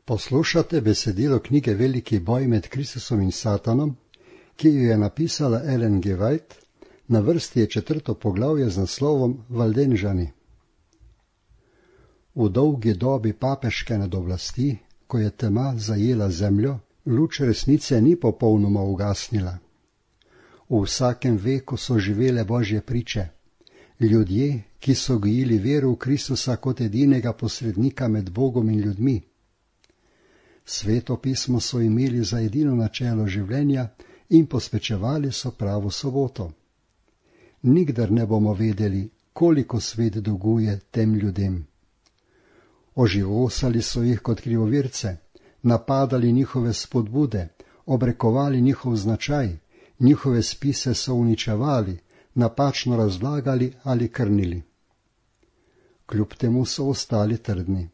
Poslušate besedilo knjige Veliki boj med Kristusom in Satanom, ki jo je napisala Ellen G. White, na vrsti je 4. poglavje z naslovom Valdenžani. V dolgi dobi papeške nadoblasti, ko je tema zajela zemljo, luč resnice ni popolnoma ugasnila. V vsakem veku so živele Božje priče, ljudje, ki so gojili vero v Kristusa kot edinega posrednika med Bogom in ljudmi. Sveto pismo so imeli za edino načelo življenja in posvečevali so pravo soboto. Nikdar ne bomo vedeli, koliko svet dolguje tem ljudem. Oživosali so jih kot krivovirce, napadali njihove spodbude, obrekovali njihov značaj, njihove spise so uničevali, napačno razlagali ali krnili. Kljub temu so ostali trdni.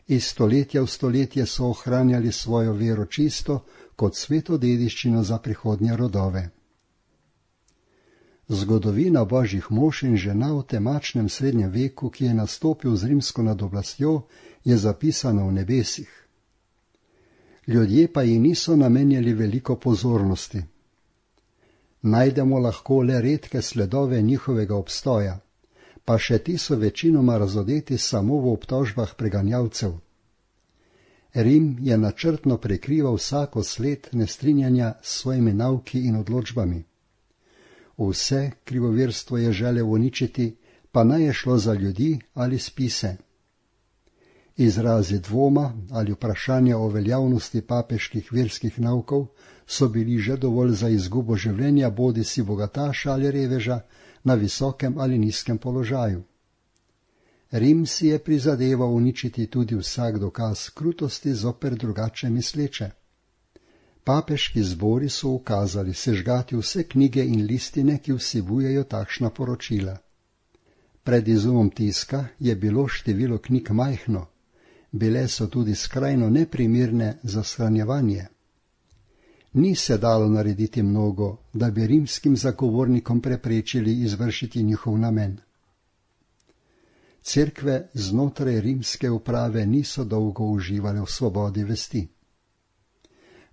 Iz stoletja v stoletje so ohranjali svojo vero čisto kot sveto dediščino za prihodnje rodove. Zgodovina božjih mož in žena v temačnem srednjem veku, ki je nastopil z rimsko nadoblastjo, je zapisana v nebesih. Ljudje pa ji niso namenjali veliko pozornosti. Najdemo lahko le redke sledove njihovega obstoja, pa še ti so večinoma razodeti samo v obtožbah preganjavcev. Rim je načrtno prekrival vsako sled nestrinjanja s svojimi nauki in odločbami. Vse krivovirstvo je želel uničiti, pa naj je šlo za ljudi ali spise. Izrazi dvoma ali vprašanja o veljavnosti papeških verskih naukov so bili že dovolj za izgubo življenja bodisi bogataša ali reveža na visokem ali nizkem položaju. Rim si je prizadeval uničiti tudi vsak dokaz krutosti zoper drugače misleče. Papeški zbori so ukazali sežgati vse knjige in listine, ki vsebujejo takšna poročila. Pred izumom tiska je bilo število knjig majhno, bile so tudi skrajno neprimerne za shranjevanje. Ni se dalo narediti mnogo, da bi rimskim zagovornikom preprečili izvršiti njihov namen. Cerkve znotraj rimske uprave niso dolgo uživale v svobodi vesti.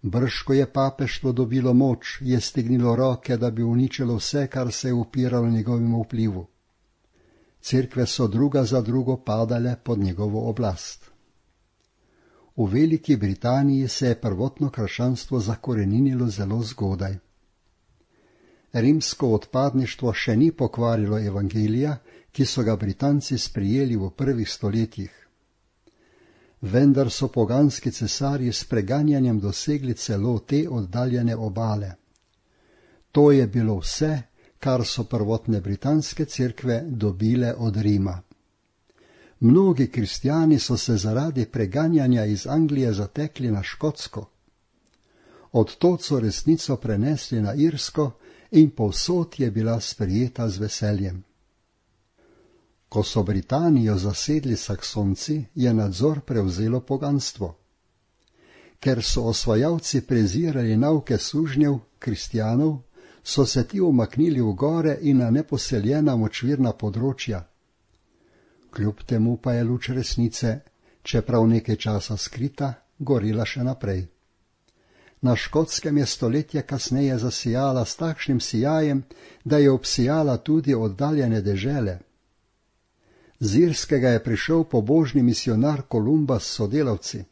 Brž ko je papeštvo dobilo moč, je stegnilo roke, da bi uničilo vse, kar se je upiralo njegovemu vplivu. Cerkve so druga za drugo padale pod njegovo oblast. V Veliki Britaniji se je prvotno krščanstvo zakoreninilo zelo zgodaj. Rimsko odpadništvo še ni pokvarilo evangelija, ki so ga Britanci sprijeli v prvih stoletjih. Vendar so poganski cesarji s preganjanjem dosegli celo te oddaljene obale. To je bilo vse, kar so prvotne britanske cerkve dobile od Rima. Mnogi kristjani so se zaradi preganjanja iz Anglije zatekli na Škotsko. Odtod so resnico prenesli na Irsko in povsod je bila sprejeta z veseljem. Ko so Britanijo zasedli Saksonci, je nadzor prevzelo poganstvo. Ker so osvajalci prezirali nauke sužnjev, kristjanov, so se ti umaknili v gore in na neposeljena močvirna področja. Kljub temu pa je luč resnice, čeprav nekaj časa skrita, gorila še naprej. Na Škotskem je stoletje kasneje zasijala s takšnim sijajem, da je obsijala tudi oddaljene dežele. Z Irskega je prišel pobožni misionar Kolumba s sodelavci.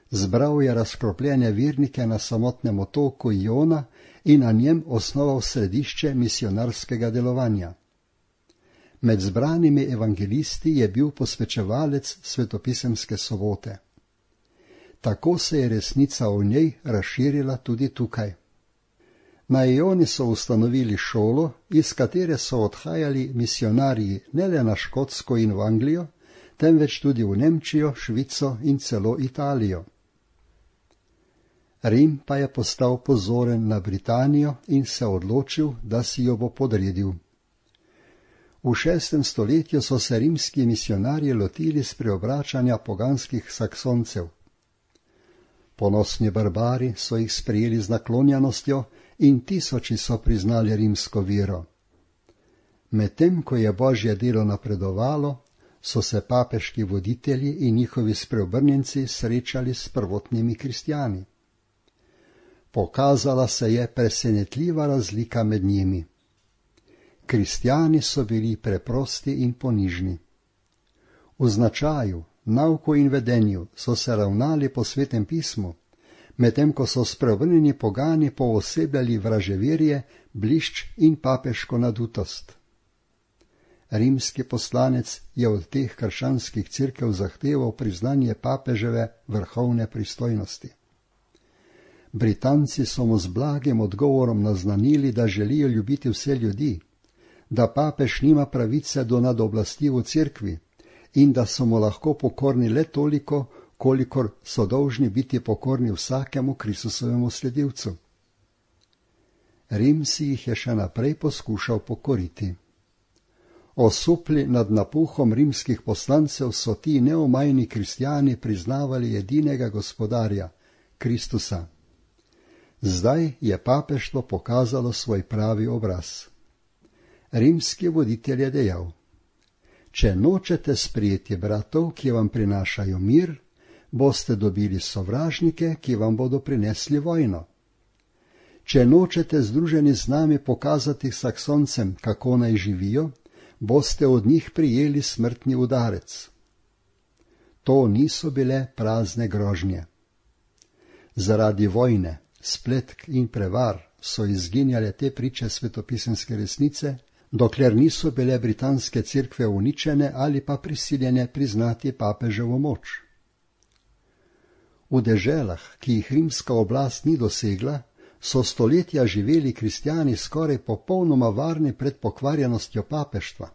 Zbral je razkropljene vernike na samotnem otoku Iona in na njem osnoval središče misionarskega delovanja. Med zbranimi evangelisti je bil posvečevalec svetopisemske sobote. Tako se je resnica o njej razširila tudi tukaj. Na Ioni so ustanovili šolo, iz katere so odhajali misionarji ne le na Škotsko in v Anglijo, temveč tudi v Nemčijo, Švico in celo Italijo. Rim pa je postal pozoren na Britanijo in se odločil, da si jo bo podredil. V 6. stoletju so se rimski misionarji lotili spreobračanja poganskih Saksoncev. Ponosni barbari so jih sprejeli z naklonjenostjo in tisoči so priznali rimsko vero. Medtem ko je Božje delo napredovalo, so se papeški voditelji in njihovi spreobrnjenci srečali s prvotnimi kristjani. Pokazala se je presenetljiva razlika med njimi. Kristjani so bili preprosti in ponižni. V značaju, nauku in vedenju so se ravnali po Svetem pismu, medtem ko so spreobrnjeni pogani poosebljali vraževerje, blišč in papeško nadutost. Rimski poslanec je od teh krščanskih cerkev zahteval priznanje papeževe vrhovne pristojnosti. Britanci so mu z blagim odgovorom naznanili, da želijo ljubiti vse ljudi, da papež nima pravice do nadoblasti v cerkvi in da so mu lahko pokorni le toliko, kolikor so dolžni biti pokorni vsakemu Kristusovemu sledilcu. Rim si jih je še naprej poskušal pokoriti. Osupli nad napuhom rimskih poslancev so ti neomajni kristjani priznavali edinega gospodarja, Kristusa. Zdaj je papeštvo pokazalo svoj pravi obraz. Rimski voditelj je dejal: če nočete sprejeti bratov, ki vam prinašajo mir, boste dobili sovražnike, ki vam bodo prinesli vojno. Če nočete združeni z nami pokazati Saksoncem, kako naj živijo, boste od njih prijeli smrtni udarec. To niso bile prazne grožnje. Zaradi vojne, spletk in prevar so izginjale te priče svetopisemske resnice, dokler niso bile britanske cerkve uničene ali pa prisiljene priznati papeževo moč. V deželah, ki jih rimska oblast ni dosegla, so stoletja živeli kristjani skoraj popolnoma varni pred pokvarjenostjo papeštva.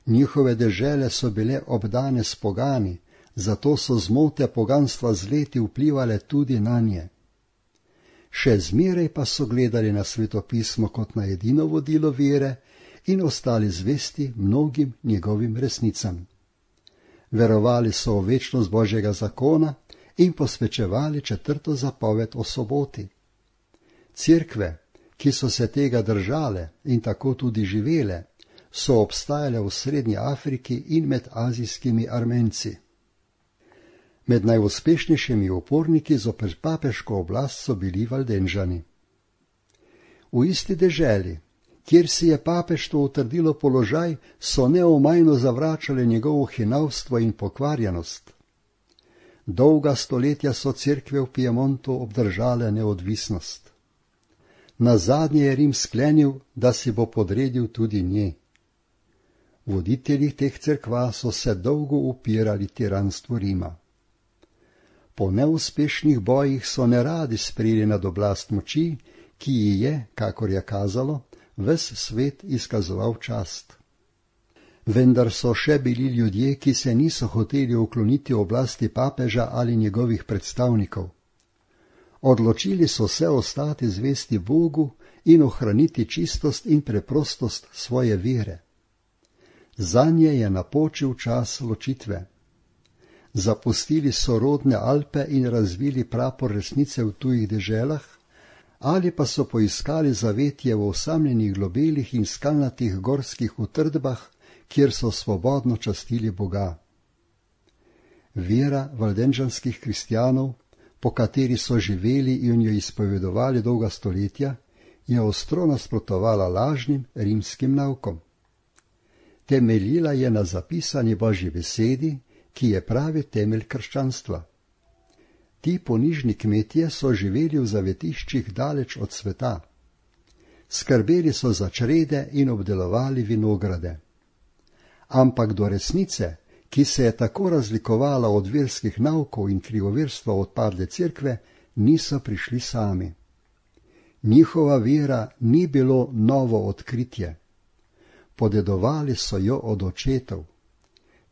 Njihove dežele so bile obdane s pogani, zato so zmote poganstva z leti vplivale tudi nanje. Še zmeraj pa so gledali na svetopismo kot na edino vodilo vere in ostali zvesti mnogim njegovim resnicam. Verovali so v večnost Božjega zakona in posvečevali 4. zapoved o soboti. Cerkve, ki so se tega držale in tako tudi živele, so obstajale v Srednji Afriki in med azijskimi Armenci. Med najuspešnejšimi uporniki zoper papeško oblast so bili Valdenžani. V isti deželi, kjer si je papeštvo utrdilo položaj, so neomajno zavračali njegovo hinavstvo in pokvarjenost. Dolga stoletja so cerkve v Piemontu obdržale neodvisnost. Nazadnje je Rim sklenil, da si bo podredil tudi njej. Voditelji teh cerkva so se dolgo upirali tiranstvu Rima. Po neuspešnih bojih so neradi sprejeli nad oblast moči, ki ji je, kakor je kazalo, ves svet izkazoval čast. Vendar so še bili ljudje, ki se niso hoteli ukloniti oblasti papeža ali njegovih predstavnikov. Odločili so se ostati zvesti Bogu in ohraniti čistost in preprostost svoje vere. Zanje je napočil čas ločitve. Zapustili so rodne Alpe in razvili prapor resnice v tujih deželah, ali pa so poiskali zavetje v osamljenih globelih in skalnatih gorskih utrdbah, kjer so svobodno častili Boga. Vera valdenžanskih kristjanov, po kateri so živeli in jo izpovedovali dolga stoletja, je ostro nasprotovala lažnim rimskim naukom. Temeljila je na zapisani Božji besedi, ki je pravi temelj krščanstva. Ti ponižni kmetje so živeli v zavetiščih daleč od sveta. Skrbeli so za črede in obdelovali vinograde. Ampak do resnice, ki se je tako razlikovala od verskih naukov in krivoverstva odpadle cerkve, niso prišli sami. Njihova vera ni bilo novo odkritje. Podedovali so jo od očetov.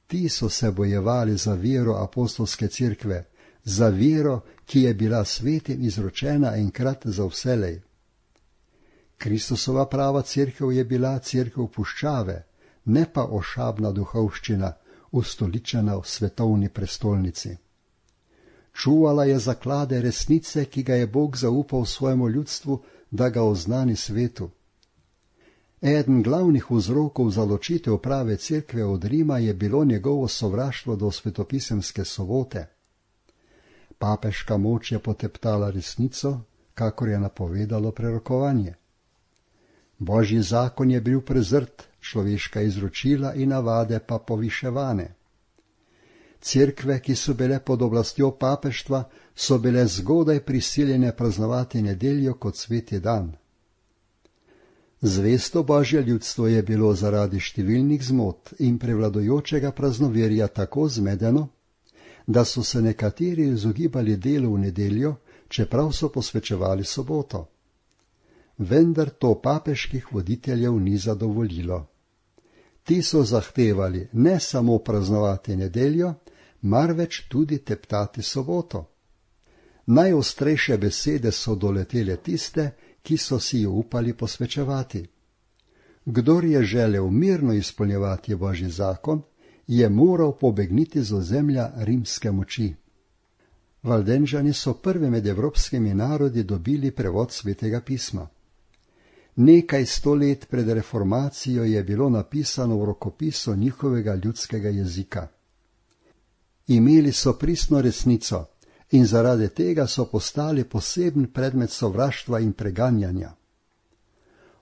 Ti so se bojevali za vero apostolske cerkve, za vero, ki je bila svetim izročena enkrat za vselej. Kristusova prava cerkev je bila cerkev puščave, ne pa ošabna duhovščina, ustoličena v svetovni prestolnici. Čuvala je zaklade resnice, ki ga je Bog zaupal svojemu ljudstvu, da ga oznani svetu. Eden glavnih vzrokov za ločitev prave cerkve od Rima je bilo njegovo sovraštvo do svetopisemske sobote. Papeška moč je poteptala resnico, kakor je napovedalo prerokovanje. Božji zakon je bil prezrt, človeška izročila in navade pa poviševane. Cerkve, ki so bile pod oblastjo papeštva, so bile zgodaj prisiljene praznovati nedeljo kot sveti dan. Zvesto Božje ljudstvo je bilo zaradi številnih zmot in prevladojočega praznoverja tako zmedeno, da so se nekateri izogibali delu v nedeljo, čeprav so posvečevali soboto. Vendar to papeških voditeljev ni zadovoljilo. Ti so zahtevali ne samo praznovati nedeljo, marveč tudi teptati soboto. Najostrejše besede so doletele tiste, ki so si jo upali posvečevati. Kdor je želel mirno izpolnjevati Božji zakon, je moral pobegniti z ozemlja rimske moči. Valdenžani so prvi med evropskimi narodi dobili prevod Svetega pisma. Nekaj 100 let pred reformacijo je bilo napisano v rokopisu njihovega ljudskega jezika. Imeli so pristno resnico in zaradi tega so postali poseben predmet sovraštva in preganjanja.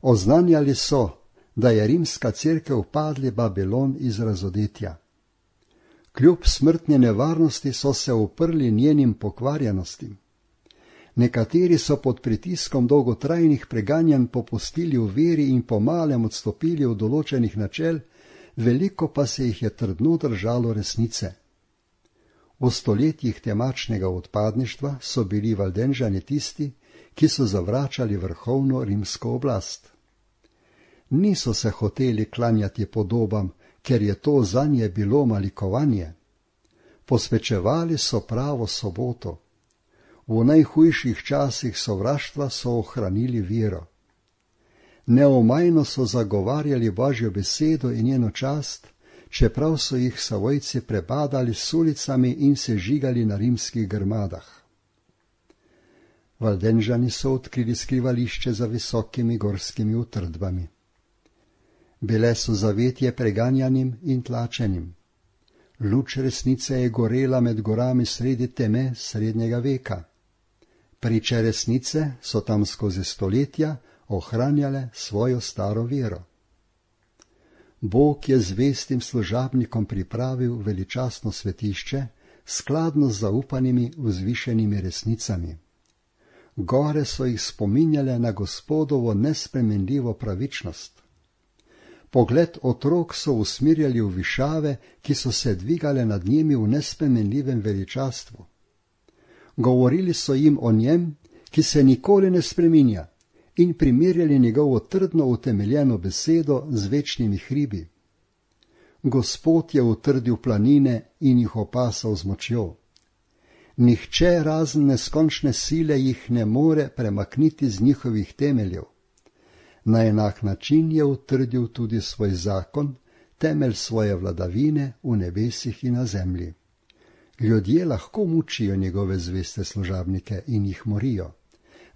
Oznanjali so, da je rimska cerkev padli Babilon iz razodetja. Kljub smrtni nevarnosti so se uprli njenim pokvarjenostim. Nekateri so pod pritiskom dolgotrajnih preganjanj popustili v veri in pomalem odstopili od določenih načel, veliko pa se jih je trdno držalo resnice. V stoletjih temačnega odpadništva so bili Valdenžani tisti, ki so zavračali vrhovno rimsko oblast. Niso se hoteli klanjati podobam, ker je to zanje bilo malikovanje. Posvečevali so pravo soboto. V najhujših časih sovraštva so ohranili vero. Neomajno so zagovarjali Božjo besedo in njeno čast, čeprav so jih savojci prebadali s ulicami in se žigali na rimskih grmadah. Valdenžani so odkrili skrivališče za visokimi gorskimi utrdbami. Bile so zavetje preganjanim in tlačenim. Luč resnice je gorela med gorami sredi teme srednjega veka. Priče resnice so tam skozi stoletja ohranjale svojo staro vero. Bog je zvestim služabnikom pripravil veličastno svetišče, skladno z zaupanimi vzvišenimi resnicami. Gore so jih spominjale na Gospodovo nespremenljivo pravičnost. Pogled otrok so usmirjali v višave, ki so se dvigale nad njimi v nespremenljivem veličastvu. Govorili so jim o njem, ki se nikoli ne spreminja, in primerjali njegovo trdno utemeljeno besedo z večnimi hribi. Gospod je utrdil planine in jih opasal z močjo. Nihče razen neskončne sile jih ne more premakniti z njihovih temeljev. Na enak način je utrdil tudi svoj zakon, temelj svoje vladavine v nebesih in na zemlji. Ljudje lahko mučijo njegove zveste služabnike in jih morijo,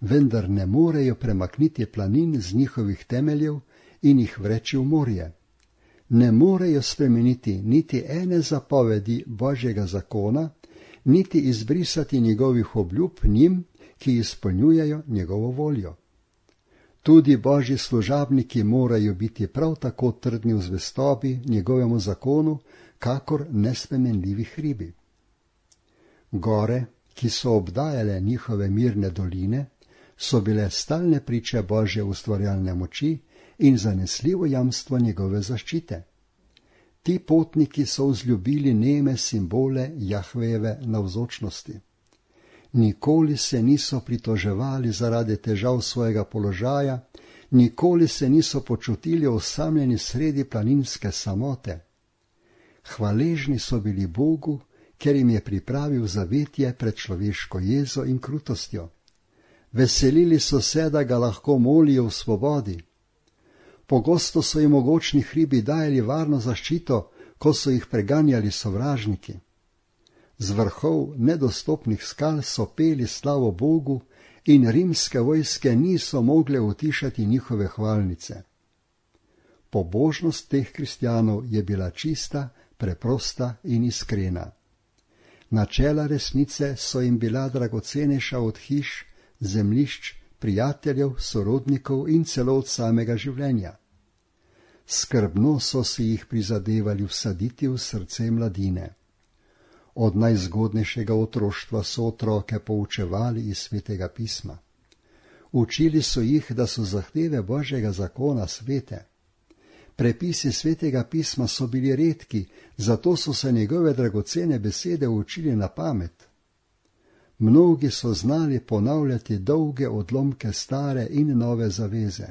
vendar ne morejo premakniti planin z njihovih temeljev in jih vreči v morje. Ne morejo spremeniti niti ene zapovedi Božjega zakona, niti izbrisati njegovih obljub njim, ki izpolnjujejo njegovo voljo. Tudi Božji služabniki morajo biti prav tako trdni v zvestobi njegovemu zakonu, kakor nespremenljivi hribi. Gore, ki so obdajale njihove mirne doline, so bile stalne priče Božje ustvarjalne moči in zanesljivo jamstvo njegove zaščite. Ti potniki so vzljubili neme simbole Jahvejeve navzočnosti. Nikoli se niso pritoževali zaradi težav svojega položaja, nikoli se niso počutili osamljeni sredi planinske samote. Hvaležni so bili Bogu, ker jim je pripravil zavetje pred človeško jezo in krutostjo. Veselili so se, da ga lahko molijo v svobodi. Pogosto so jim mogočni hribi dajali varno zaščito, ko so jih preganjali sovražniki. Z vrhov nedostopnih skal so peli slavo Bogu in rimske vojske niso mogle utišati njihove hvalnice. Pobožnost teh kristjanov je bila čista, preprosta in iskrena. Načela resnice so jim bila dragocenejša od hiš, zemljišč, prijateljev, sorodnikov in celo od samega življenja. Skrbno so si jih prizadevali vsaditi v srce mladine. Od najzgodnejšega otroštva so otroke poučevali iz Svetega pisma. Učili so jih, da so zahteve Božjega zakona svete. Prepisi Svetega pisma so bili redki, zato so se njegove dragocene besede učili na pamet. Mnogi so znali ponavljati dolge odlomke stare in nove zaveze.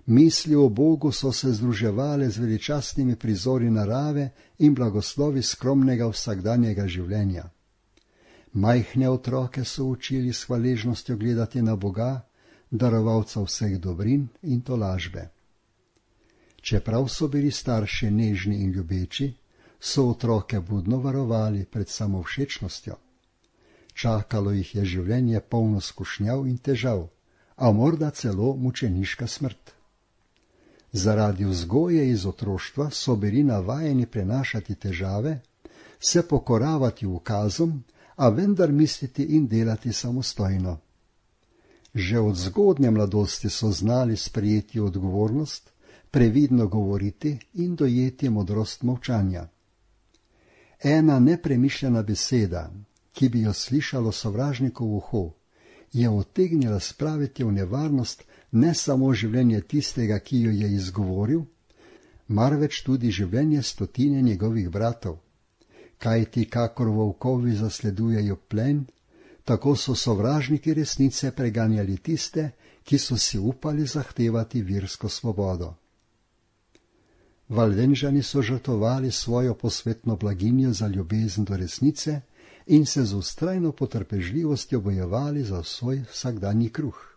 Misli o Bogu so se združevale z veličastnimi prizori narave in blagoslovi skromnega vsakdanjega življenja. Majhne otroke so učili s hvaležnostjo gledati na Boga, darovalca vseh dobrin in tolažbe. Čeprav so bili starši nežni in ljubeči, so otroke budno varovali pred samovšečnostjo. Čakalo jih je življenje polno skušnjav in težav, a morda celo mučeniška smrt. Zaradi vzgoje iz otroštva so bili navajeni prenašati težave, se pokoravati ukazom, a vendar misliti in delati samostojno. Že od zgodnje mladosti so znali sprejeti odgovornost, previdno govoriti in dojeti modrost molčanja. Ena nepremišljena beseda, ki bi jo slišalo sovražnikov uho, je utegnila spraviti v nevarnost ne samo življenje tistega, ki jo je izgovoril, marveč tudi življenje stotine njegovih bratov. Kajti kakor volkovi zasledujejo plen, tako so sovražniki resnice preganjali tiste, ki so si upali zahtevati versko svobodo. Valdenžani so žrtvovali svojo posvetno blaginjo za ljubezen do resnice in se z vztrajno potrpežljivostjo bojevali za svoj vsakdanji kruh.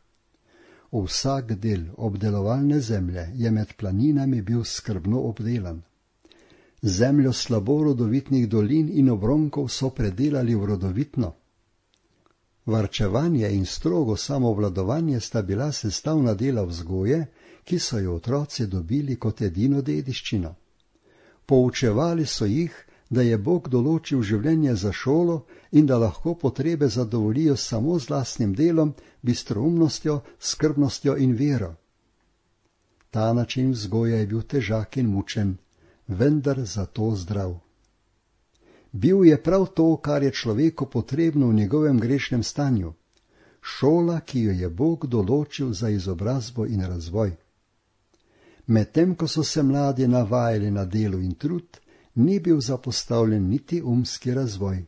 Vsak del obdelovalne zemlje je med planinami bil skrbno obdelan. Zemljo slabo rodovitnih dolin in obronkov so predelali v rodovitno. Varčevanje in strogo samovladovanje sta bila sestavna dela vzgoje, ki so jo otroci dobili kot edino dediščino. Poučevali so jih, da je Bog določil življenje za šolo in da lahko potrebe zadovoljijo samo z lastnim delom, bistroumnostjo, skrbnostjo in vero. Ta način vzgoje je bil težak in mučen, vendar zato zdrav. Bil je prav to, kar je človeku potrebno v njegovem grešnem stanju, šola, ki jo je Bog določil za izobrazbo in razvoj. Medtem ko so se mladi navajali na delo in trud, ni bil zapostavljen niti umski razvoj.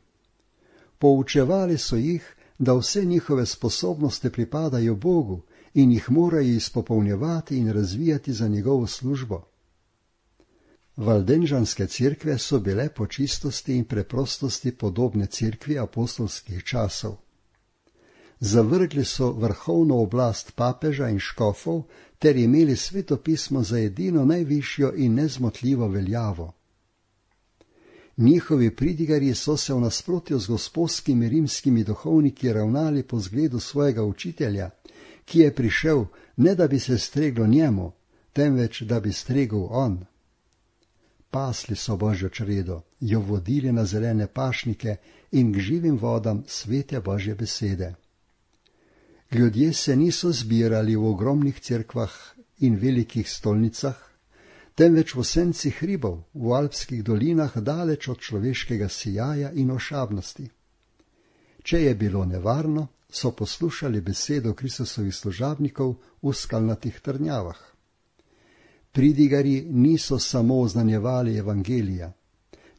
Poučevali so jih, da vse njihove sposobnosti pripadajo Bogu in jih morajo izpopolnjevati in razvijati za njegovo službo. Valdenžanske cerkve so bile po čistosti in preprostosti podobne cerkvi apostolskih časov. Zavrgli so vrhovno oblast papeža in škofov ter imeli Sveto pismo za edino najvišjo in nezmotljivo veljavo. Njihovi pridigarji so se v nasprotju z gospodskimi rimskimi duhovniki ravnali po zgledu svojega učitelja, ki je prišel ne da bi se streglo njemu, temveč da bi stregel on. Pasli so Božjo čredo, jo vodili na zelene pašnike in k živim vodam svete Božje besede. Ljudje se niso zbirali v ogromnih cerkvah in velikih stolnicah, temveč v senci hribov, v alpskih dolinah, daleč od človeškega sijaja in ošabnosti. Če je bilo nevarno, so poslušali besedo Kristusovih služabnikov v skalnatih trnjavah. Pridigarji niso samo oznanjevali evangelija,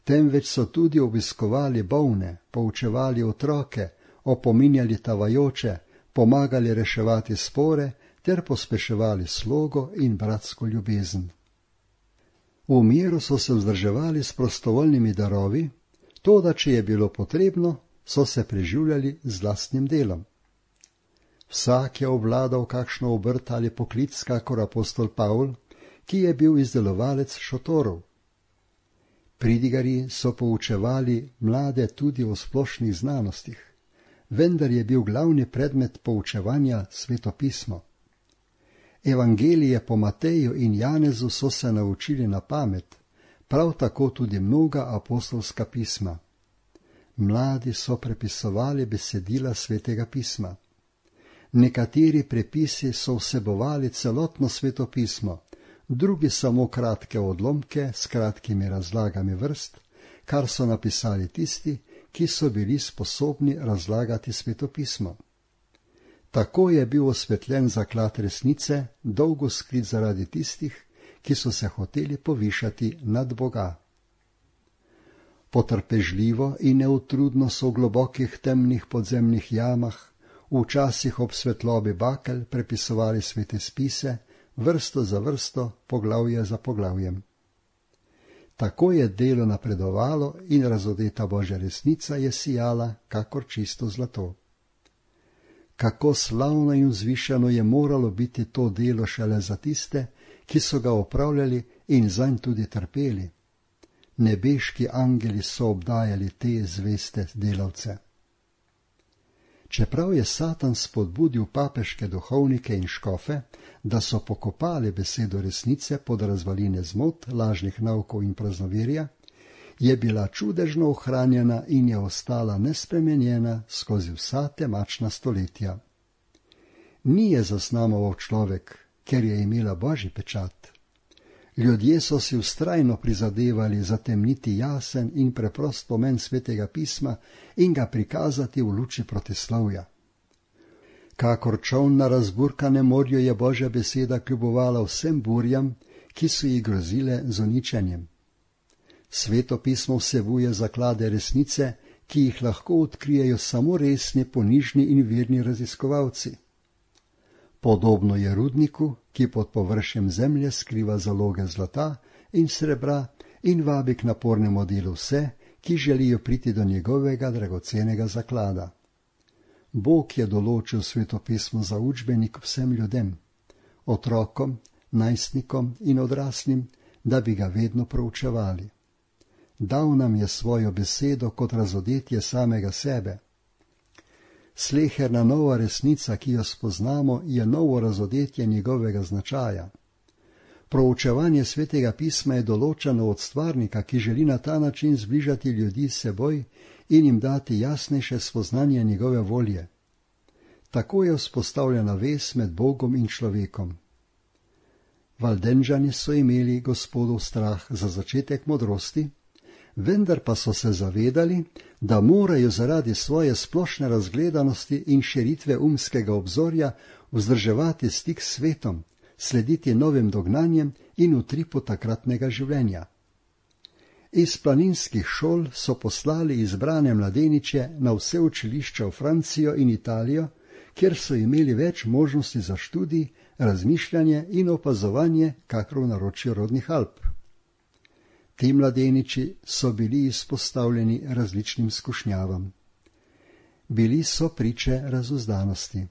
temveč so tudi obiskovali bolne, poučevali otroke, opominjali tavajoče, pomagali reševati spore ter pospeševali slogo in bratsko ljubezen. V miru so se vzdrževali s prostovoljnimi darovi, toda če je bilo potrebno, so se preživljali z lastnim delom. Vsak je obvladal kakšno obrt ali poklic, kakor apostol Pavl, ki je bil izdelovalec šotorov. Pridigarji so poučevali mlade tudi o splošnih znanostih, vendar je bil glavni predmet poučevanja Sveto pismo. Evangelije po Mateju in Janezu so se naučili na pamet, prav tako tudi mnoga apostolska pisma. Mladi so prepisovali besedila Svetega pisma. Nekateri prepisi so vsebovali celotno Sveto pismo, drugi samo kratke odlomke s kratkimi razlagami vrst, kar so napisali tisti, ki so bili sposobni razlagati Sveto pismo. Tako je bil osvetljen zaklad resnice, dolgo skrit zaradi tistih, ki so se hoteli povišati nad Boga. Potrpežljivo in neutrudno so v globokih temnih podzemnih jamah, včasih ob svetlobi bakel prepisovali svete spise, vrsto za vrsto, poglavje za poglavjem. Tako je delo napredovalo in razodeta Božja resnica je sijala, kakor čisto zlato. Kako slavno in vzvišeno je moralo biti to delo šele za tiste, ki so ga opravljali in zanj tudi trpeli. Nebeški angeli so obdajali te zveste delavce. Čeprav je Satan spodbudil papeške duhovnike in škofe, da so pokopali besedo resnice pod razvaline zmot, lažnih naukov in praznoverja, je bila čudežno ohranjena in je ostala nespremenjena skozi vsa temačna stoletja. Ni je zaznamoval človek, ker je imela Božji pečat. Ljudje so si vztrajno prizadevali zatemniti jasen in preprost pomen Svetega pisma in ga prikazati v luči protislovja. Kakor čoln na razburkanem morju je Božja beseda kljubovala vsem burjam, ki so ji grozile z uničenjem. Sveto pismo vsebuje zaklade resnice, ki jih lahko odkrijejo samo resni, ponižni in verni raziskovalci. Podobno je rudniku, ki pod površjem zemlje skriva zaloge zlata in srebra in vabi k napornemu delu vse, ki želijo priti do njegovega dragocenega zaklada. Bog je določil Sveto pismo za učbenik vsem ljudem, otrokom, najstnikom in odraslim, da bi ga vedno proučevali. Dal nam je svojo besedo kot razodetje samega sebe. Sleherna nova resnica, ki jo spoznamo, je novo razodetje njegovega značaja. Proučevanje Svetega pisma je določeno od stvarnika, ki želi na ta način zbližati ljudi s seboj in jim dati jasnejše spoznanje njegove volje. Tako je vzpostavljena vez med Bogom in človekom. Valdenžani so imeli Gospodov strah za začetek modrosti, vendar pa so se zavedali, da morajo zaradi svoje splošne razgledanosti in širitve umskega obzorja vzdrževati stik s svetom, slediti novim dognanjem in utripu takratnega življenja. Iz planinskih šol so poslali izbrane mladeniče na vse učilišča v Francijo in Italijo, kjer so imeli več možnosti za študij, razmišljanje in opazovanje, kakor v naročju rodnih Alp. Ti mladeniči so bili izpostavljeni različnim skušnjavam. Bili so priče razuzdanosti.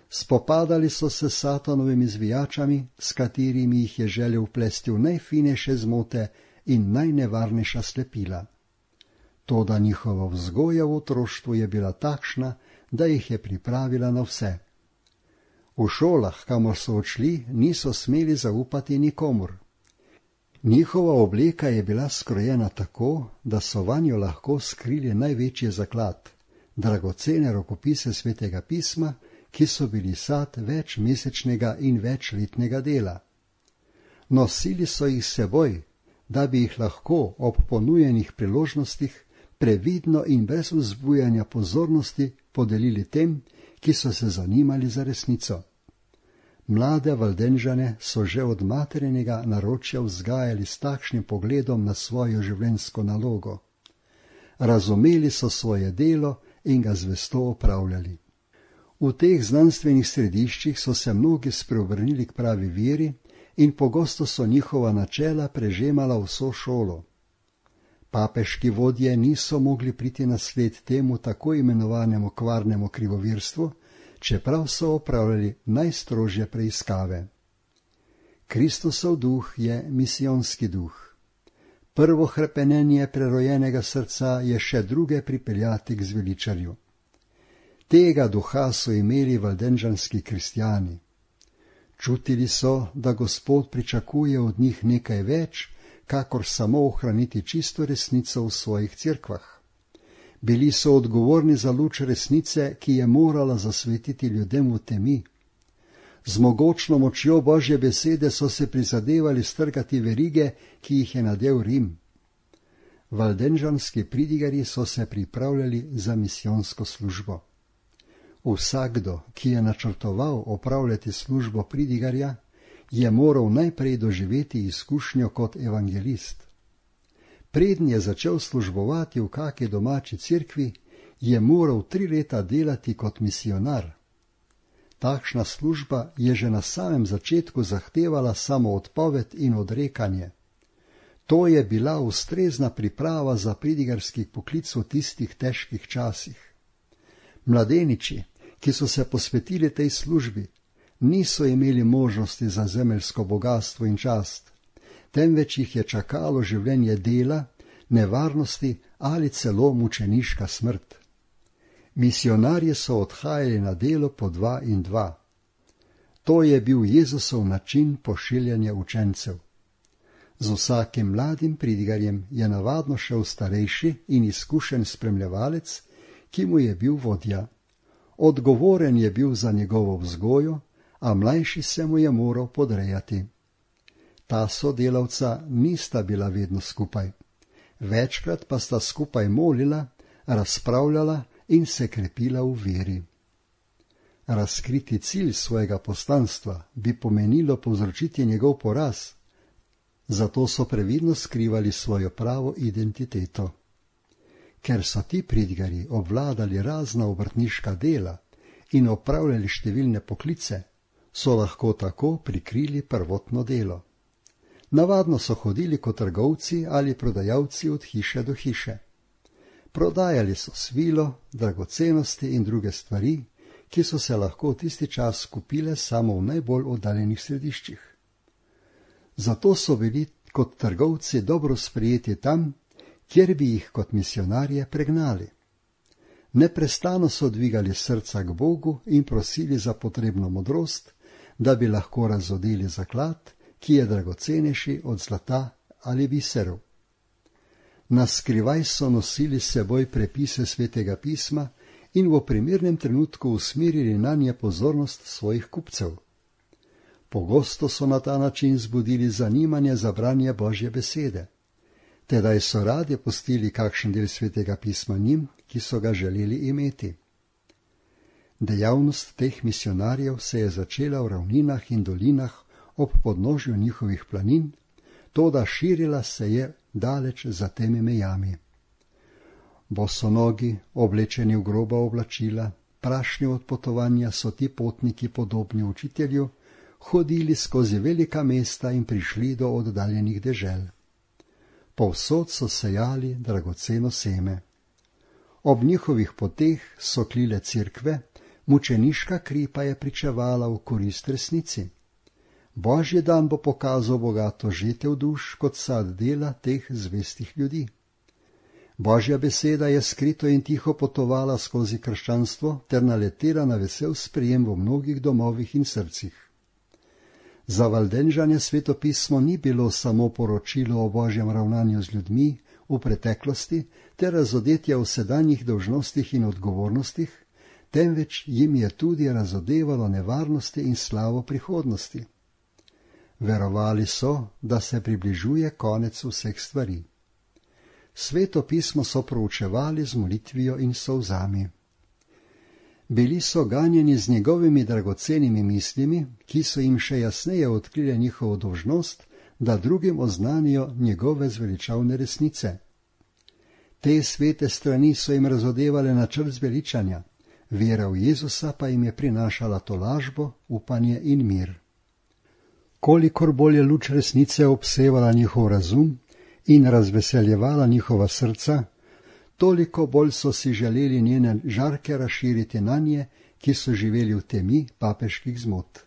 Spopadali so se s Satanovimi zvijačami, s katerimi jih je želel vplesti v najfinejše zmote in najnevarnejša slepila. Toda njihova vzgoja v otroštvu je bila takšna, da jih je pripravila na vse. V šolah, kamor so odšli, niso smeli zaupati nikomur. Njihova obleka je bila skrojena tako, da so vanjo lahko skrili največji zaklad, dragocene rokopise Svetega pisma, ki so bili sad večmesečnega in večletnega dela. Nosili so jih s seboj, da bi jih lahko ob ponujenih priložnostih previdno in brez vzbujanja pozornosti podelili tem, ki so se zanimali za resnico. Mlade Valdenžane so že od materinega naročja vzgajali s takšnim pogledom na svojo življenjsko nalogo. Razumeli so svoje delo in ga zvesto opravljali. V teh znanstvenih središčih so se mnogi spreobrnili k pravi veri in pogosto so njihova načela prežemala vso šolo. Papeški vodje niso mogli priti na sled temu tako imenovanemu kvarnemu krivovirstvu, čeprav so opravljali najstrožje preiskave. Kristusov duh je misijonski duh. Prvo hrepenenje prerojenega srca je še druge pripeljati k zveličarju. Tega duha so imeli valdenžanski kristjani. Čutili so, da Gospod pričakuje od njih nekaj več, kakor samo ohraniti čisto resnico v svojih cerkvah. Bili so odgovorni za luč resnice, ki je morala zasvetiti ljudem v temi. Z mogočno močjo Božje besede so se prizadevali strgati verige, ki jih je nadel Rim. Valdenžanski pridigarji so se pripravljali za misijonsko službo. Vsakdo, ki je načrtoval opravljati službo pridigarja, je moral najprej doživeti izkušnjo kot evangelist. Preden je začel službovati v kaki domači cerkvi, je moral 3 leta delati kot misionar. Takšna služba je že na samem začetku zahtevala samoodpoved in odrekanje. To je bila ustrezna priprava za pridigarski poklic v tistih težkih časih. Mladeniči, ki so se posvetili tej službi, niso imeli možnosti za zemeljsko bogastvo in čast, temveč jih je čakalo življenje dela, nevarnosti ali celo mučeniška smrt. Misionarji so odhajali na delo po 2 in 2. To je bil Jezusov način pošiljanja učencev. Z vsakim mladim pridigarjem je navadno šel starejši in izkušen spremljevalec, ki mu je bil vodja. Odgovoren je bil za njegovo vzgojo, a mlajši se mu je moral podrejati. Ta sodelavca nista bila vedno skupaj. Večkrat pa sta skupaj molila, razpravljala in se krepila v veri. Razkriti cilj svojega poslanstva bi pomenilo povzročiti njegov poraz, zato so previdno skrivali svojo pravo identiteto. Ker so ti pridigarji obvladali razna obrtniška dela in opravljali številne poklice, so lahko tako prikrili prvotno delo. Navadno so hodili kot trgovci ali prodajalci od hiše do hiše. Prodajali so svilo, dragocenosti in druge stvari, ki so se lahko v tisti čas kupile samo v najbolj oddaljenih središčih. Zato so bili kot trgovci dobro sprejeti tam, kjer bi jih kot misionarje pregnali. Neprestano so dvigali srca k Bogu in prosili za potrebno modrost, da bi lahko razodeli zaklad, ki je dragocenejši od zlata ali biserov. Na skrivaj so nosili s seboj prepise Svetega pisma in v primernem trenutku usmerili nanje pozornost svojih kupcev. Pogosto so na ta način zbudili zanimanje za branje Božje besede. Tedaj so radi pustili kakšen del Svetega pisma njim, ki so ga želeli imeti. Dejavnost teh misionarjev se je začela v ravninah in dolinah ob podnožju njihovih planin, toda širila se je daleč za temi mejami. Bosonogi, oblečeni v groba oblačila, prašni od potovanja, so ti potniki podobni učitelju, hodili skozi velika mesta in prišli do oddaljenih dežel. Povsod so sejali dragoceno seme. Ob njihovih poteh so klile cerkve, mučeniška kri pa je pričevala v korist resnici. Božji dan bo pokazal bogato žetev duš kot sad dela teh zvestih ljudi. Božja beseda je skrito in tiho potovala skozi krščanstvo ter naletela na vesel sprejem v mnogih domovih in srcih. Za Valdenžane Sveto pismo ni bilo samo poročilo o Božjem ravnanju z ljudmi v preteklosti ter razodetja v sedanjih dolžnostih in odgovornostih, temveč jim je tudi razodevalo nevarnosti in slavo prihodnosti. Verovali so, da se približuje konec vseh stvari. Sveto pismo so proučevali z molitvijo in solzami. Bili so ganjeni z njegovimi dragocenimi mislimi, ki so jim še jasneje odkrile njihovo dolžnost, da drugim oznanijo njegove zveličavne resnice. Te svete strani so jim razodevale načrt zveličanja, vera v Jezusa pa jim je prinašala tolažbo, upanje in mir. Kolikor bolj je luč resnice obsevala njihov razum in razveseljevala njihova srca, toliko bolj so si želeli njene žarke razširiti nanje, ki so živeli v temi papeških zmot.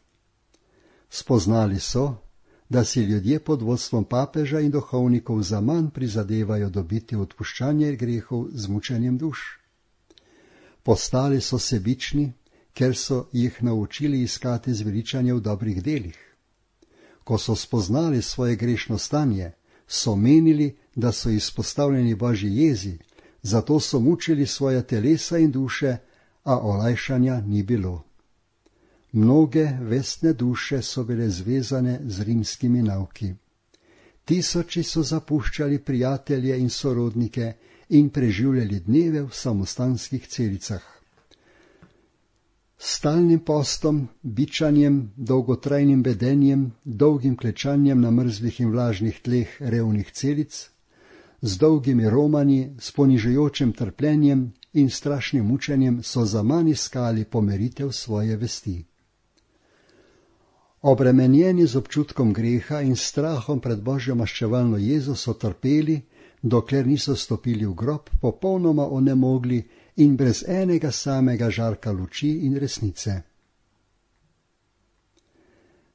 Spoznali so, da si ljudje pod vodstvom papeža in duhovnikov zaman prizadevajo dobiti odpuščanje grehov z mučenjem duš. Postali so sebični, ker so jih naučili iskati zveličanje v dobrih delih. Ko so spoznali svoje grešno stanje, so menili, da so izpostavljeni Božji jezi, zato so mučili svoje telesa in duše, a olajšanja ni bilo. Mnoge vestne duše so bile zvezane z rimskimi nauki. Tisoči so zapuščali prijatelje in sorodnike in preživljali dneve v samostanskih celicah. Stalnim postom, bičanjem, dolgotrajnim bedenjem, dolgim klečanjem na mrzlih in vlažnih tleh revnih celic, z dolgimi romanji, s ponižujočim trpljenjem in strašnim mučenjem so zaman iskali pomiritev svoje vesti. Obremenjeni z občutkom greha in strahom pred Božjo maščevalno jezo so trpeli, dokler niso stopili v grob, popolnoma onemogli in brez enega samega žarka luči in resnice.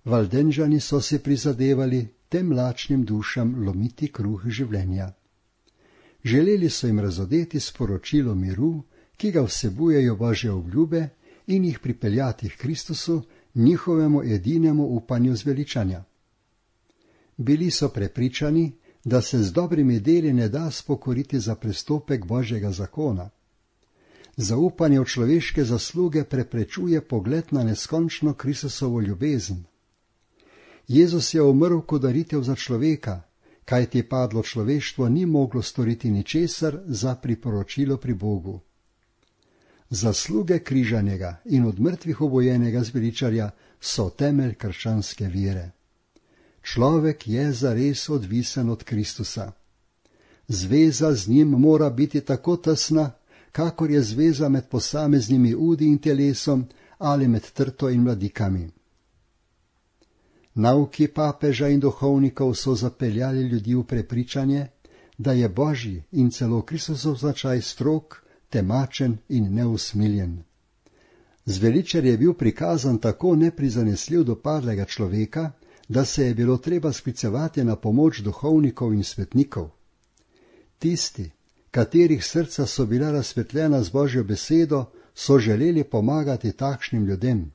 Valdenžani so si prizadevali tem lačnim dušam lomiti kruh življenja. Želeli so jim razodeti sporočilo miru, ki ga vsebujejo Božje obljube, in jih pripeljati k Kristusu, njihovemu edinemu upanju zveličanja. Bili so prepričani, da se z dobrimi deli ne da spokoriti za prestopek Božjega zakona. Zaupanje v človeške zasluge preprečuje pogled na neskončno Kristusovo ljubezen. Jezus je umrl kot daritev za človeka, kajti padlo človeštvo ni moglo storiti ničesar za priporočilo pri Bogu. Zasluge križanega in od mrtvih obojenega zveličarja so temelj krščanske vere. Človek je zares odvisen od Kristusa. Zveza z njim mora biti tako tesna, kakor je zveza med posameznimi udi in telesom ali med trto in mladikami. Nauki papeža in duhovnikov so zapeljali ljudi v prepričanje, da je Božji in celo Kristusov značaj strog, temačen in neusmiljen. Zveličar je bil prikazan tako neprizanesljiv do padlega človeka, da se je bilo treba sklicevati na pomoč duhovnikov in svetnikov. Tisti, katerih srca so bila razsvetljena z Božjo besedo, so želeli pomagati takšnim ljudem.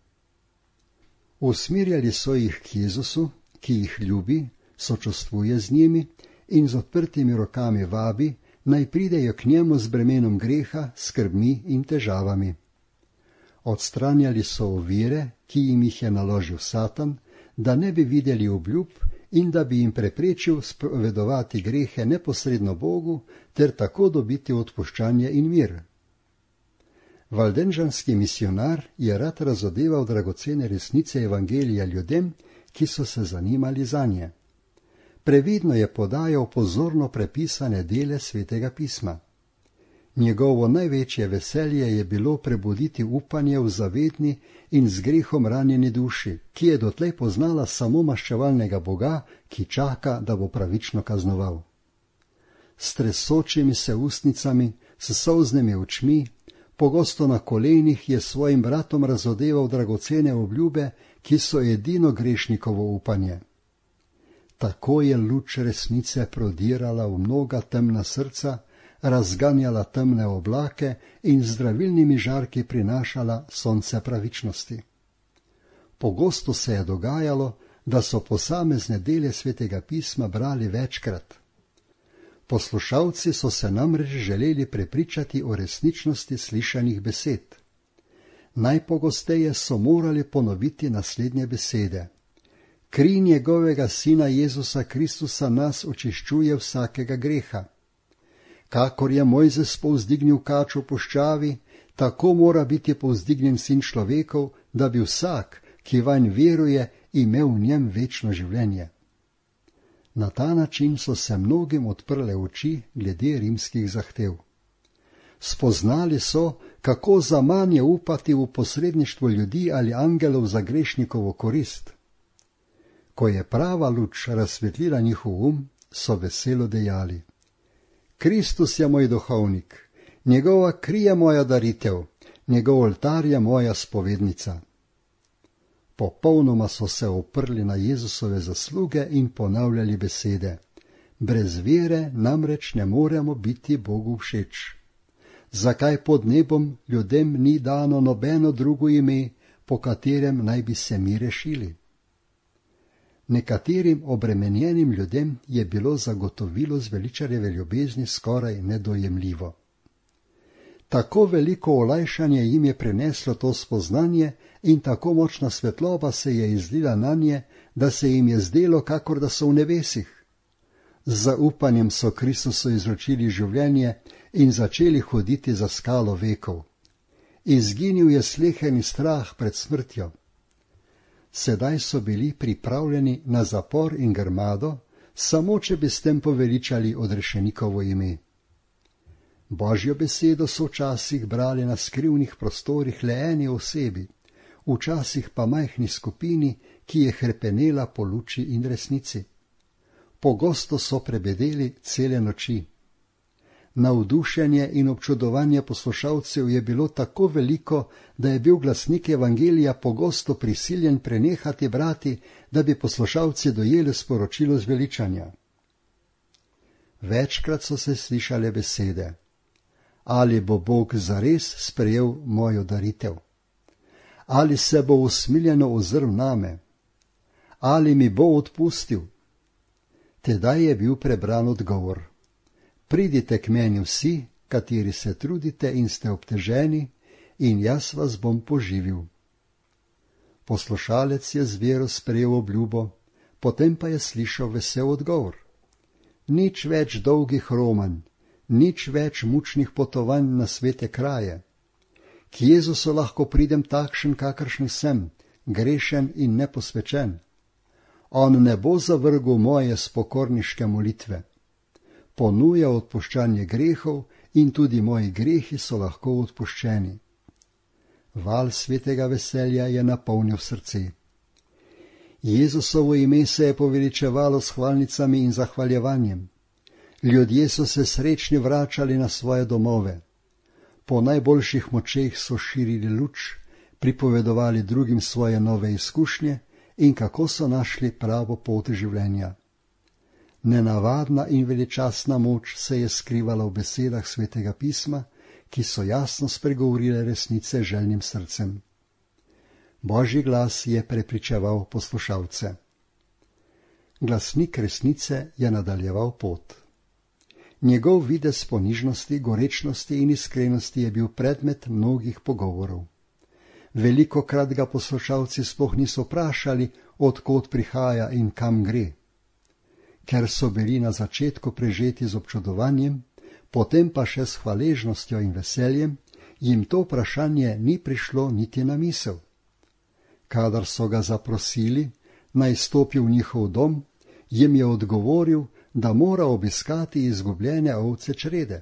Usmirjali so jih k Jezusu, ki jih ljubi, sočustvuje z njimi in z odprtimi rokami vabi, naj pridejo k njemu z bremenom greha, skrbmi in težavami. Odstranjali so ovire, ki jim jih je naložil Satan, da ne bi videli obljub in da bi jim preprečil spovedovati grehe neposredno Bogu ter tako dobiti odpuščanje in mir. Valdenžanski misionar je rad razodeval dragocene resnice evangelija ljudem, ki so se zanimali zanje. Previdno je podajal pozorno prepisane dele Svetega pisma. Njegovo največje veselje je bilo prebuditi upanje v zavedni in z grehom ranjeni duši, ki je dotlej poznala samo maščevalnega Boga, ki čaka, da bo pravično kaznoval. S tresočimi se ustnicami, s solznimi očmi, pogosto na kolenih je svojim bratom razodeval dragocene obljube, ki so edino grešnikovo upanje. Tako je luč resnice prodirala v mnoga temna srca, razganjala temne oblake in z zdravilnimi žarki prinašala sonce pravičnosti. Pogosto se je dogajalo, da so posamezne dele Svetega pisma brali večkrat. Poslušalci so se namreč želeli prepričati o resničnosti slišanih besed. Najpogosteje so morali ponoviti naslednje besede. Kri njegovega sina Jezusa Kristusa nas očiščuje vsakega greha. Kakor je Mojzes povzdignil kač v puščavi, tako mora biti povzdignjen sin človekov, da bi vsak, ki vanj veruje, imel v njem večno življenje. Na ta način so se mnogim odprle oči glede rimskih zahtev. Spoznali so, kako zaman je upati v posredništvo ljudi ali angelov za grešnikovo korist. Ko je prava luč razsvetlila njihov so veselo dejali: Kristus je moj duhovnik, njegova kri je moja daritev, njegov oltar je moja spovednica. Popolnoma so se oprli na Jezusove zasluge in ponavljali besede: Brez vere namreč ne moremo biti Bogu všeč. zakaj pod nebom ljudem ni dano nobeno drugo ime, po katerem naj bi se mi rešili. Nekaterim obremenjenim ljudem je bilo zagotovilo zveličarjeve ljubezni skoraj nedojemljivo. Tako veliko olajšanje jim je prineslo to spoznanje in tako močna svetloba se je izlila nanje, da se jim je zdelo, kakor da so v nebesih. Z zaupanjem so Kristusu izročili življenje in začeli hoditi za skalo vekov. Izginil je sleherni strah pred smrtjo. Sedaj so bili pripravljeni na zapor in grmado, samo če bi s tem poveličali odrešenikovo ime. Božjo besedo so včasih brali na skrivnih prostorih le eni osebi, včasih pa majhni skupini, ki je hrepenela po luči in resnici. Pogosto so prebedeli cele noči. Navdušenje in občudovanje poslušalcev je bilo tako veliko, da je bil glasnik evangelija pogosto prisiljen prenehati brati, da bi poslušalci dojeli sporočilo zveličanja. Večkrat so se slišale besede: ali bo Bog zares sprejel mojo daritev? Ali se bo usmiljeno ozrl name? Ali mi bo odpustil? Tedaj je bil prebran odgovor: pridite k meni vsi, kateri se trudite in ste obteženi, in jaz vas bom poživil. Poslušalec je z vero sprejel obljubo, potem pa je slišal vesel odgovor: nič več dolgih romanj, nič več mučnih potovanj na svete kraje. K Jezusu lahko pridem takšen, kakršen sem, grešen in neposvečen. On ne bo zavrgel moje spokorniške molitve. Ponuja odpuščanje grehov in tudi moji grehi so lahko odpuščeni. Val svetega veselja je napolnil srce. Jezusovo ime se je poveličevalo s hvalnicami in zahvaljevanjem. Ljudje so se srečni vračali na svoje domove. Po najboljših močeh so širili luč, pripovedovali drugim svoje nove izkušnje in kako so našli pravo pot življenja. Nenavadna in veličastna moč se je skrivala v besedah svetega pisma, ki so jasno spregovorile resnice željnim srcem. Božji glas je prepričeval poslušalce. Glasnik resnice je nadaljeval pot. Njegov videz ponižnosti, gorečnosti in iskrenosti je bil predmet mnogih pogovorov. Velikokrat ga poslušalci sploh niso vprašali, od kod prihaja in kam gre. Ker so bili na začetku prežeti z občudovanjem, potem pa še s hvaležnostjo in veseljem, jim to vprašanje ni prišlo niti na misel. Kadar so ga zaprosili, naj stopi v njihov dom, jim je odgovoril, da mora obiskati izgubljene ovce črede.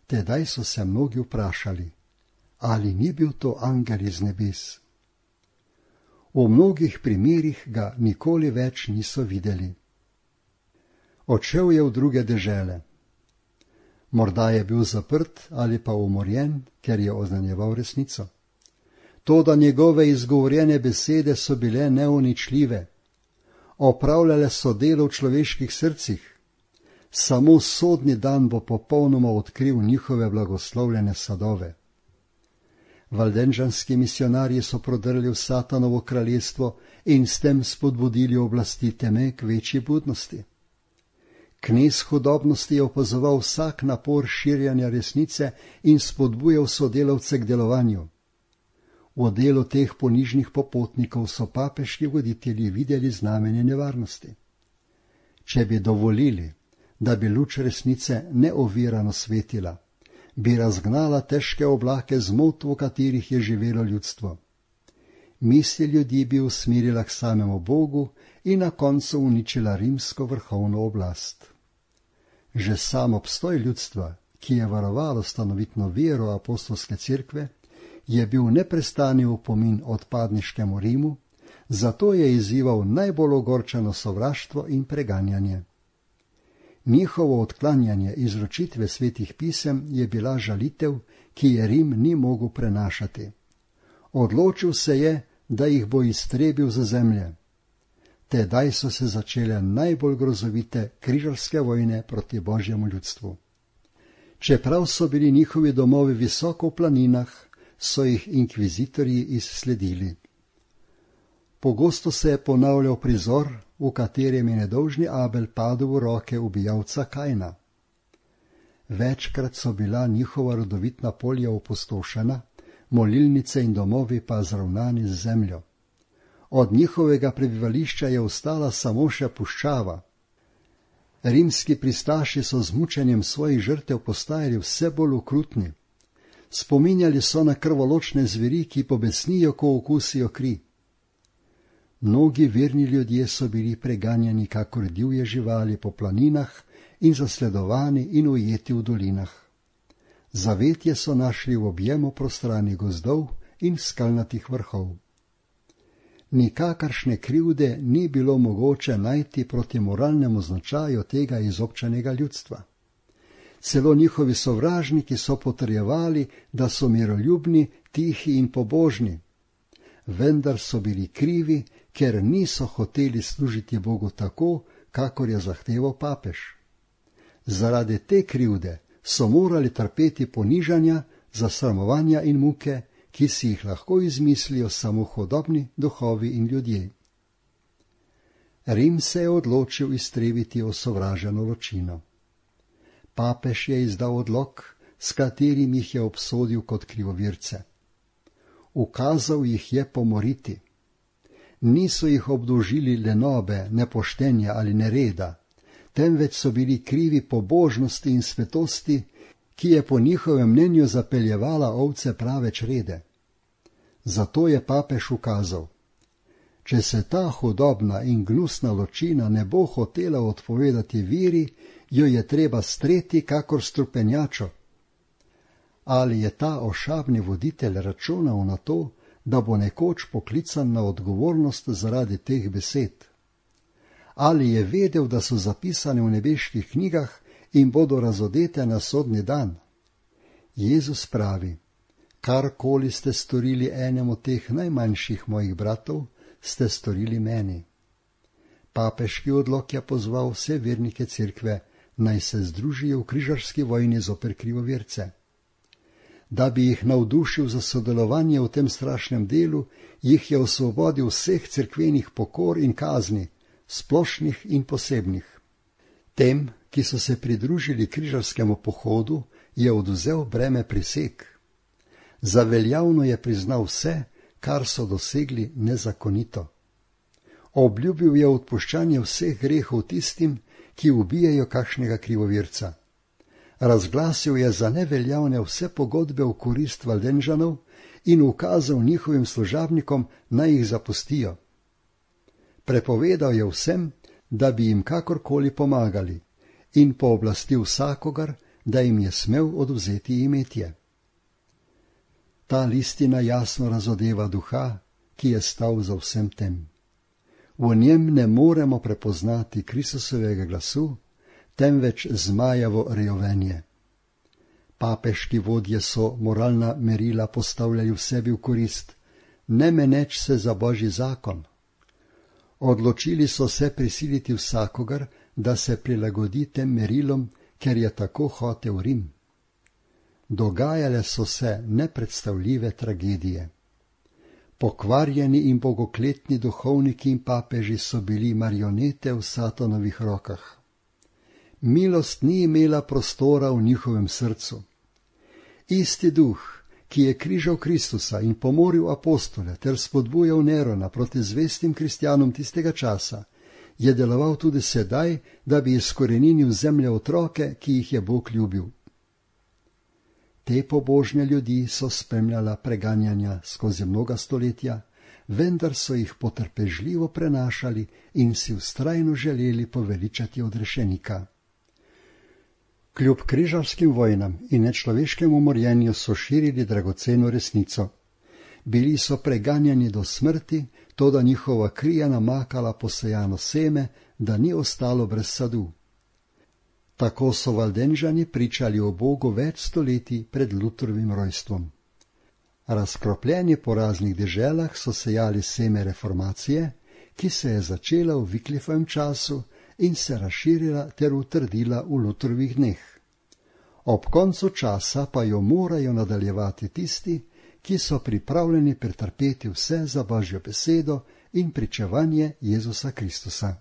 Tedaj so se mnogi vprašali, ali ni bil to angel iz nebes. V mnogih primerih ga nikoli več niso videli. Odšel je v druge dežele. Morda je bil zaprt ali pa umorjen, ker je oznanjeval resnico. Toda njegove izgovorjene besede so bile neuničljive. Opravljale so delo v človeških srcih. Samo sodni dan bo popolnoma odkril njihove blagoslovljene sadove. Valdenžanski misionarji so prodrli v Satanovo kraljestvo in s tem spodbudili oblasti teme k večji budnosti. Knez hudobnosti je opazoval vsak napor širjanja resnice in spodbujal sodelavce k delovanju. V delu teh ponižnih popotnikov so papeški voditelji videli znamenje nevarnosti. Če bi dovolili, da bi luč resnice neovirano svetila, bi razgnala težke oblake zmot, v katerih je živelo ljudstvo. Misli ljudi bi usmerila k samemu Bogu in na koncu uničila rimsko vrhovno oblast. Že sam obstoj ljudstva, ki je varovalo stanovitno vero apostolske cerkve, je bil neprestani opomin odpadniškemu Rimu, zato je izzival najbolj ogorčeno sovraštvo in preganjanje. Njihovo odklanjanje izročitve svetih pisem je bila žalitev, ki je Rim ni mogel prenašati. Odločil se je, da jih bo iztrebil za zemlje. Tedaj so se začele najbolj grozovite križarske vojne proti Božjemu ljudstvu. Čeprav so bili njihovi domovi visoko v planinah, so jih inkvizitorji izsledili. Pogosto se je ponavljal prizor, v katerem je nedolžni Abel padel v roke ubijalca Kaina. Večkrat so bila njihova rodovitna polja opustošena, molilnice in domovi pa zravnani z zemljo. Od njihovega prebivališča je ostala samo še puščava. Rimski pristaši so z mučenjem svojih žrtev postajali vse bolj okrutni. Spominjali so na krvoločne zveri, ki pobesnijo, ko okusijo kri. Mnogi verni ljudje so bili preganjani kakor divje živali po planinah in zasledovani in ujeti v dolinah. Zavetje so našli v objemu prostranih gozdov in skalnatih vrhov. Nikakršne krivde ni bilo mogoče najti proti moralnemu značaju tega izobčenega ljudstva. Celo njihovi sovražniki so potrjevali, da so miroljubni, tihi in pobožni. Vendar so bili krivi, ker niso hoteli služiti Bogu tako, kakor je zahteval papež. Zaradi te krivde so morali trpeti ponižanja, zasramovanja in muke, ki si jih lahko izmislijo samo hudobni duhovi in ljudje. Rim se je odločil iztrebiti osovraženo ločino. Papež je izdal odlok, s katerim jih je obsodil kot krivovirce. Ukazal jih je pomoriti. Niso jih obdolžili lenobe, nepoštenja ali nereda, temveč so bili krivi pobožnosti in svetosti, ki je po njihovem mnenju zapeljevala ovce prave črede. Zato je papež ukazal: če se ta hudobna in gnusna ločina ne bo hotela odpovedati veri, jo je treba streti kakor strupenjačo. Ali je ta ošabni voditelj računal na to, da bo nekoč poklican na odgovornost zaradi teh besed? Ali je vedel, da so zapisane v nebeških knjigah in bodo razodete na sodni dan? Jezus pravi: karkoli ste storili enemu teh najmanjših mojih bratov, ste storili meni. Papeški odlok je pozval vse vernike cerkve, naj se združijo v križarski vojni zoper krivovirce. Da bi jih navdušil za sodelovanje v tem strašnem delu, jih je osvobodil vseh cerkvenih pokor in kazni, splošnih in posebnih. Tem, ki so se pridružili križarskemu pohodu, je odvzel breme priseg. Za veljavno je priznal vse, kar so dosegli nezakonito. Obljubil je odpuščanje vseh grehov tistim, ki ubijajo kakšnega krivovirca. Razglasil je za neveljavne vse pogodbe v korist Valdenžanov in ukazal njihovim služabnikom, naj jih zapustijo. Prepovedal je vsem, da bi jim kakorkoli pomagali, in pooblastil vsakogar, da jim je smel odvzeti imetje. Ta listina jasno razodeva duha, ki je stal za vsem tem. V njem ne moremo prepoznati Kristusovega glasu, temveč zmajavo rejovenje. Papeški vodje so moralna merila postavljali v sebi v korist, ne meneč se za Božji zakon. Odločili so se prisiliti vsakogar, da se prilagodi tem merilom, ker je tako hotel Rim. Dogajale so se nepredstavljive tragedije. Pokvarjeni in bogokletni duhovniki in papeži so bili marionete v Satanovih rokah. Milost ni imela prostora v njihovem srcu. Isti duh, ki je križal Kristusa in pomoril apostole ter spodbujal Nerona proti zvestim kristjanom tistega časa, je deloval tudi sedaj, da bi izkoreninil zemlje otroke, ki jih je Bog ljubil. Te pobožne ljudi so spremljala preganjanja skozi mnoga stoletja, vendar so jih potrpežljivo prenašali in si vztrajno želeli poveličati odrešenika. Kljub križarskim vojnam in nečloveškemu morjenju so širili dragoceno resnico. Bili so preganjani do smrti, toda njihova kri je namakala posejano seme, da ni ostalo brez sadu. Tako so Valdenžani pričali o Bogu več stoletij pred Lutherovim rojstvom. Razkropljeni po raznih deželah so sejali seme reformacije, ki se je začela v Wyclifovem času in se razširila ter utrdila v Lutherovih dneh. ob koncu časa pa jo morajo nadaljevati tisti, ki so pripravljeni pretrpeti vse za Božjo besedo in pričevanje Jezusa Kristusa.